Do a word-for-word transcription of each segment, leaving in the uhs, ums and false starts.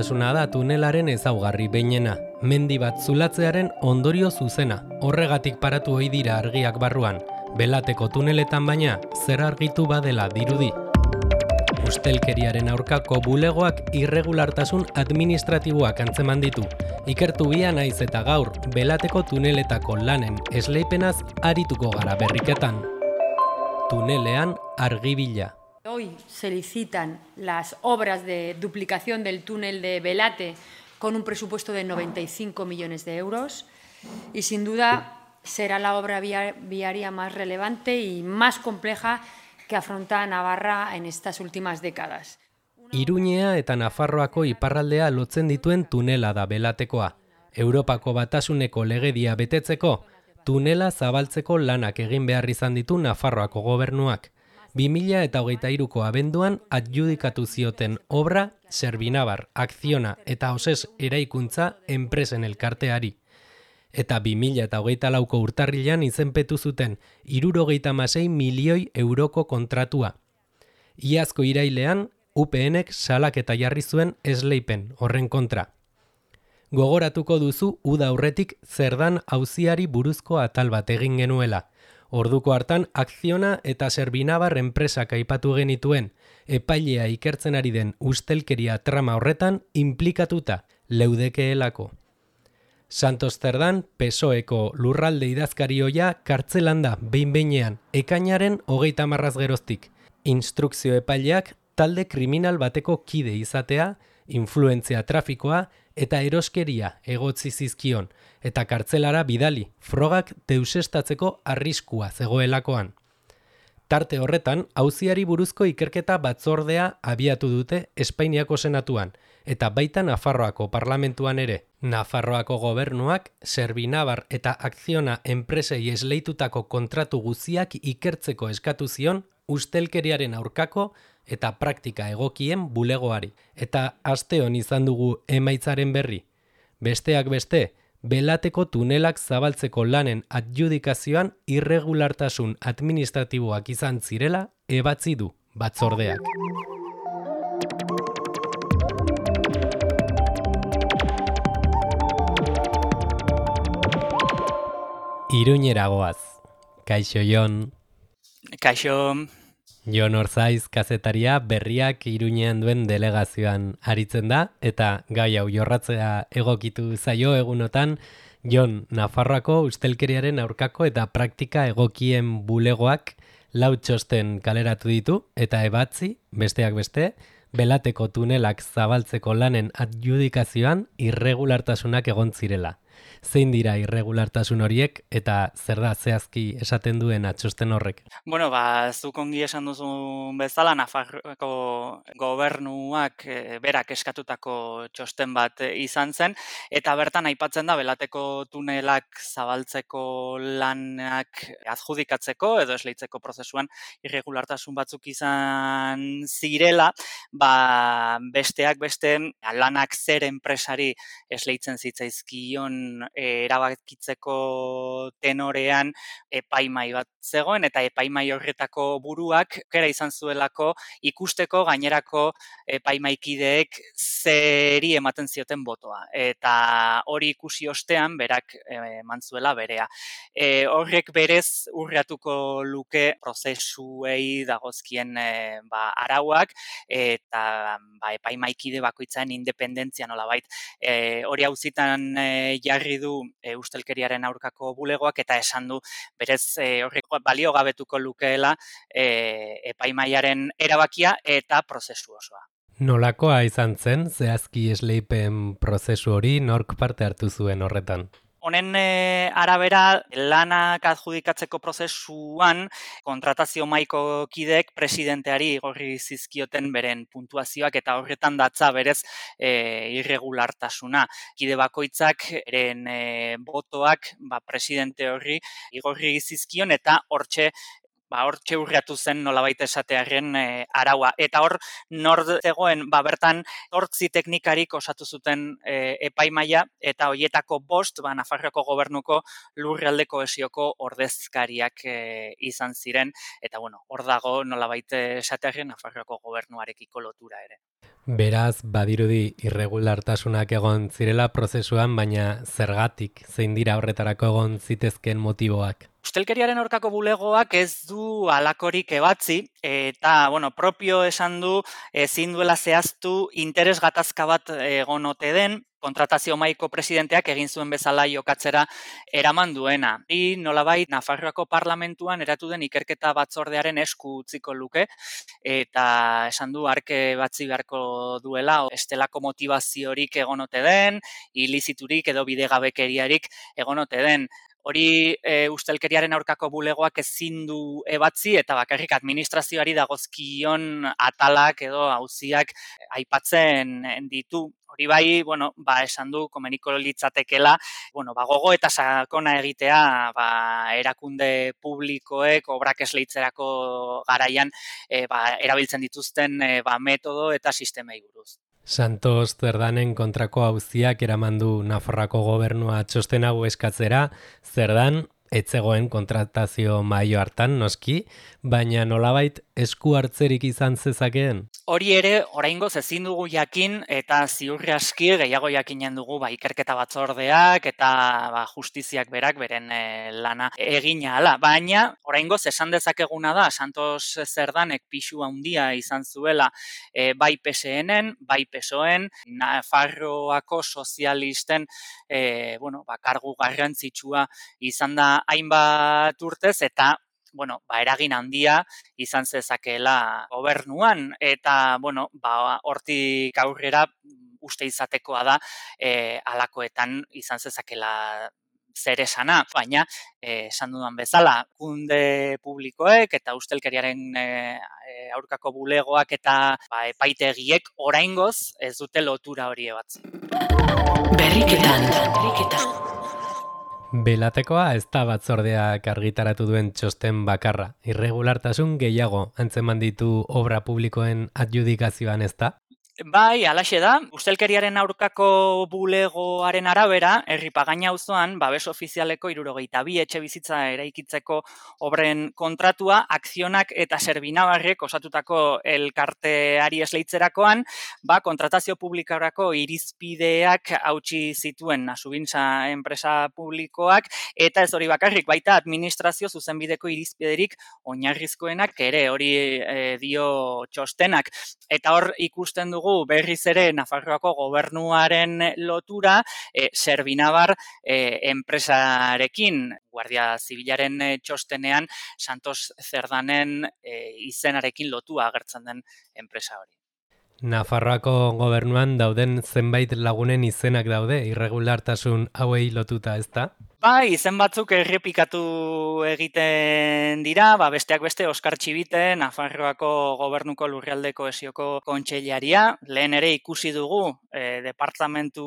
irregulartasuna da tunelaren ezaugarri behinena, mendi bat zulatzearen ondorio zuzena. Horregatik paratu ohi dira argiak barruan, Belateko tuneletan baina zer argitu badela dirudi. Ustelkeriaren aurkako bulegoak irregulartasun administratiboak antzeman ditu. Ikertu bia naiz eta gaur Belateko tuneletako lanen esleipenaz arituko gara berriketan. Tunelean argibila. Hoy se licitan las obras de duplicación del túnel de Belate con un presupuesto de noventa y cinco millones de euros y sin duda será la obra viaria más relevante y más compleja que afronta Navarra en estas últimas décadas. Iruñea eta Nafarroako iparraldea lotzen dituen tunela da Belatekoa. Europako Batasuneko legedia betetzeko, tunela zabaltzeko lanak egin behar izan ditu Nafarroako gobernuak. bi mila hogeita hiruko abenduan adjudikatu zioten obra Serbinabar, Akziona eta Oses eraikuntza enpresen elkarteari. Eta bi mila hogeita lauko urtarrilean izenpetu zuten hirurogeita hamasei milioi euroko kontratua. Iazko irailean, U PNek salaketa jarri zuen esleipen horren kontra. Gogoratuko duzu uda aurretik zerdan auziari buruzko atal bat egin genuela. Orduko hartan Akziona eta Serbinabar enpresak aipatu genituen, epailea ikertzen ari den ustelkeria trama horretan inplikatuta leudekeelako. Santos Zerdan, P S O Eko lurralde idazkari ohia kartzelan da behin-behinean ekainaren hogeita hamarraz geroztik. Instrukzio epaileak talde kriminal bateko kide izatea, influentzia trafikoa eta eroskeria egotzi zizkion, eta kartzelara bidali, frogak deusestatzeko arriskua zegoelakoan. Tarte horretan, auziari buruzko ikerketa batzordea abiatu dute Espainiako senatuan, eta baita Nafarroako parlamentuan ere. Nafarroako gobernuak, Serbinabar eta Akziona enpresei esleitutako kontratu guziak ikertzeko eskatu zion ustelkeriaren aurkako eta praktika egokien bulegoari. Eta asteon izan dugu emaitzaren berri. Besteak beste, Belateko tunelak zabaltzeko lanen adjudikazioan irregulartasun administratiboak izan zirela ebatzi du batzordeak. Iruñera goaz. Kaixo Jon. Kaixo. Jon Orzaiz kazetaria berriak Iruñean duen delegazioan aritzen da, eta gai hau jorratzea egokitu zaio egunotan, Jon Nafarroako ustelkeriaren aurkako eta praktika egokien bulegoak lau txosten kaleratu ditu, eta ebatzi, besteak beste, Belateko tunelak zabaltzeko lanen adjudikazioan irregulartasunak egon zirela. Zein dira irregulartasun horiek eta zer da zehazki esaten duen atxosten horrek? Bueno, ba, zuk ongi esan duzun bezala, Nafarroako gobernuak e, berak eskatutako txosten bat e, izan zen, eta bertan aipatzen da Belateko tunelak zabaltzeko lanak adjudikatzeko edo esleitzeko prozesuan irregulartasun batzuk izan zirela, ba, besteak beste lanak zer enpresari esleitzen zitzaizkion erabakitzeko tenorean epaimai bat zegoen, eta epaimai horretako buruak kera izan zuelako ikusteko gainerako epaimaikideek zeri ematen zioten botoa. Eta hori ikusi ostean berak eman zuela berea. E, horrek berez urratuko luke prozesuei dagozkien e, ba, arauak eta ba, epaimaikide bakoitzaren independentzia nolabait. E, hori auzitan e, jarri du e, ustelkeriaren aurkako bulegoak eta esan du berez e, horrek baliogabetuko lukeela e, epaimaiaren erabakia eta prozesu osoa. Nolakoa izan zen zehazki esleipen prozesu hori, nork parte hartu zuen horretan? Honen e, arabera, lanak adjudikatzeko prozesuan kontratazio mahaiko kideek presidenteari igorri zizkioten beren puntuazioak eta horretan datza berez e, irregulartasuna. Kide bakoitzak eren e, botoak ba, presidente horri igorri zizkion eta hortxe Ba, hortxe urriatu zen nolabait esatearen e, araua. Eta hor, nor zegoen, ba, bertan, hortzi teknikarik osatu zuten e, epaimaia, eta hoietako bost, ba, Nafarroako gobernuko lurralde kohesioko ordezkariak e, izan ziren, eta bueno, hor dago nolabait esatearen Nafarroako gobernuarekiko lotura ere. Beraz, badirudi irregulartasunak egon zirela prozesuan, baina zergatik, zein dira horretarako egon zitezkeen motiboak? Ustelkeriaren aurkako bulegoak ez du halakorik ebatzi, eta, bueno, propio esan du, ezin duela zehaztu interes gatazka bat egon ote den, kontratazio mahaiko presidenteak egin zuen bezala jokatzera eraman duena. I nolabait Nafarroako parlamentuan eratu den ikerketa batzordearen esku utziko luke, eta esan du arke batzi beharko duela, estelako motivaziorik egon ote den, iliziturik edo bidegabekeriarik egon ote den. Hori e, ustelkeriaren aurkako bulegoak ezin du ebatzi eta bakarrik administrazioari dagozkion atalak edo auziak aipatzen ditu. Hori bai, bueno, ba, esan du komeniko litzatekela, bueno, ba, gogo eta sakona egitea ba, erakunde publikoek obrak esleitzerako garaian e, ba, erabiltzen dituzten e, ba, metodo eta sistemei buruz. Santos Zerdanen kontrako auziak eramandu Nafarroako gobernua txosten hau eskatzera, Zerdan etzegoen kontratazio mahaio hartan noski, baina nolabait esku hartzerik izan zezakeen? Hori ere, oraingoz ezin dugu jakin eta ziurri aski gehiago jakinen dugu ba, ikerketa batzordeak eta ba, justiziak berak beren e, lana egina hala. Baina oraingoz esan dezakeguna da Santos Zerdanek pisu handia izan zuela e, bai P S N-en, bai P S O E-en, Nafarroako sozialisten e, bueno, ba, kargu garrantzitsua izan da hainbat urtez eta bueno, ba, eragin handia izan zezakeela gobernuan eta bueno, ba, hortik aurrera uste izatekoa da e, halakoetan izan zezakela zer esana, baina eh, esan dudan bezala, kunde publikoek eta ustelkeriaren e, aurkako bulegoak eta ba, epaitegiek oraingoz ez dute lotura hori ebatzen. Berriketan, berriketan. Belatekoa ez da batzordeak argitaratu duen txosten bakarra. Irregulartasun gehiago antzeman ditu obra publikoen adjudikazioan ez da? Bai, alaxe da. Ustelkeriaren aurkako bulegoaren arabera, Herripagaina auzoan babes ofizialeko hirurogeita bi etxe bizitza eraikitzeko obren kontratua, akzionak eta Serbinabarrek osatutako elkarteari esleitzerakoan, ba, kontratazio publikorako irizpideak hautsi zituen Asubintza enpresa publikoak, eta ez hori bakarrik, baita administrazio zuzenbideko irizpiderik oinarrizkoenak ere hori e, dio txostenak. Eta hor ikusten dugu berriz ere Nafarroako gobernuaren lotura e, Serbinabar e, enpresarekin. Guardia Zibilaren e, txostenean Santos Zerdanen e, izenarekin lotua agertzen den enpresa hori. Nafarroako gobernuan dauden zenbait lagunen izenak daude, irregulartasun hauei lotuta ez da? Bai, izen batzuk errepikatu egiten dira, ba, besteak beste Oskar Txibite, Nafarroako gobernuko lurralde kohesioko kontseilaria, lehen ere ikusi dugu e, departamentu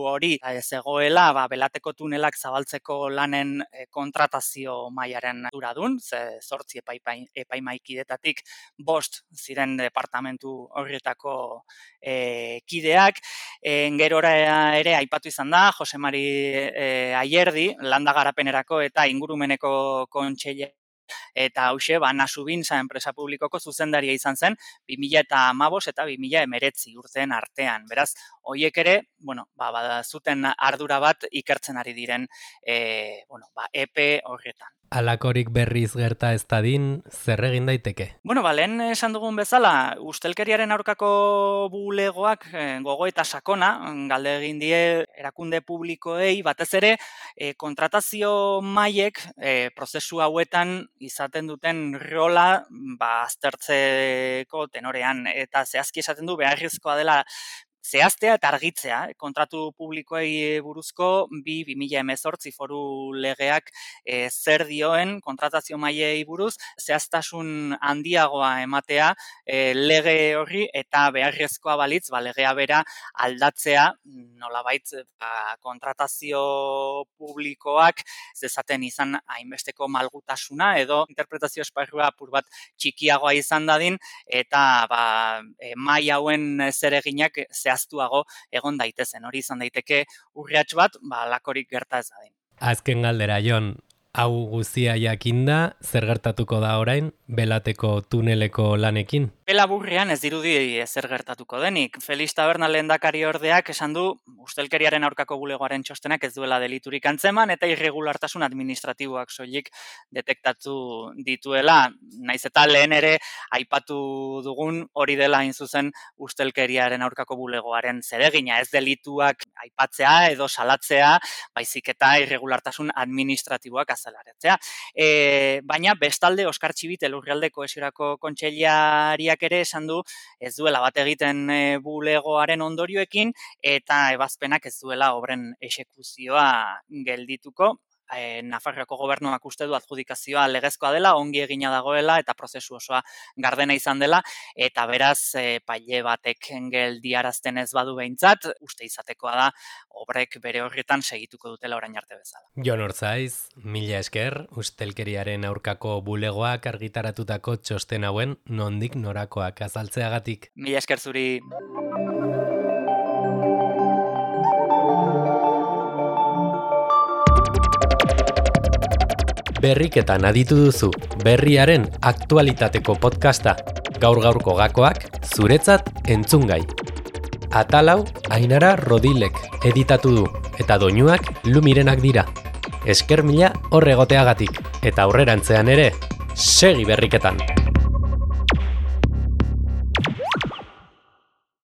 hori e, zegoela, ba, Belateko tunelak zabaltzeko lanen e, kontratazio mailaren duradun, ze zortzi epaimaikidetatik bost ziren departamentu horretako e, kideak, e, gerora ere aipatu izan da, Jose Mari e, Aier landa garapenerako eta ingurumeneko kontseilea eta hauxe, ba, Nasubintza enpresa publikoko zuzendaria izan zen bi mila hamabost eta bi mila hemeretzi urteen artean. Beraz, hoiek ere, bueno, ba, ba, zuten ardura bat ikertzen ari diren e, bueno, ba, epe horretan. Alakorik berriz gerta ez dadin, zer egin daiteke? Bueno, ba, lehen esan dugun bezala, ustelkeriaren aurkako bulegoak eh, gogo eta sakona, galde egin die erakunde publikoei, batez ere, eh, kontratazio mailek eh, prozesu hauetan izaten duten rola ba, aztertzeko tenorean, eta zehazki esaten du beharrizkoa dela zehaztea eta argitzea, kontratu publikoei buruzko bi bi mila hemezortzi foru legeak e, zer dioen kontratazio mailei buruz, zehaztasun handiagoa ematea e, lege horri eta beharrezkoa balitz, ba, legea bera aldatzea, nolabait ba, kontratazio publikoak zezaten izan hainbesteko malgutasuna edo interpretazio esparrua apur bat txikiagoa izan dadin, eta ba, e, maila hauen zereginak zehaztuago egon daitezen. Hori izan daiteke urriatx bat, ba, lakorik gerta ez dadin. Azken galdera, Jon, Hau guztia jakinda, zer gertatuko da orain, Belateko tuneleko lanekin? Pelaburrean ez dirudi ezer gertatuko denik. Felix Taberna lehendakari ordeak esan du ustelkeriaren aurkako bulegoaren txostenak ez duela deliturik antzeman eta irregulartasun administratiboak soilik detektatu dituela. Naiz eta lehen ere aipatu dugun hori dela hain zuzen ustelkeriaren aurkako bulegoaren zeregina. Ez delituak aipatzea edo salatzea, baizik eta irregulartasun administratiboak azalaretzea. E, baina bestalde Oskar Txibit Elurralde Kohesiorako kontseilariak ere esan du ez duela bat egiten e, bulegoaren ondorioekin eta ebazpenak ez duela obren exekuzioa geldituko. E, Nafarroako gobernuak uste du adjudikazioa legezkoa dela, ongi egina dagoela eta prozesu osoa gardena izan dela eta beraz e, paile batek geldiarazten ez badu behintzat, uste izatekoa da obrek bere horretan segituko dutela orain arte bezala. Jon Ortzaiz, mila esker, ustelkeriaren aurkako bulegoak argitaratutako txosten hauen nondik norakoak azaltzeagatik. Mila esker zuri. Berriketan aditu duzu, berriaren aktualitateko podcasta, gaur-gaurko gakoak, zuretzat entzungai. Atalau, Ainara Rodilek editatu du, eta doinuak Lumirenak dira. Esker mila horregoteagatik, eta aurrerantzean ere, segi berriketan!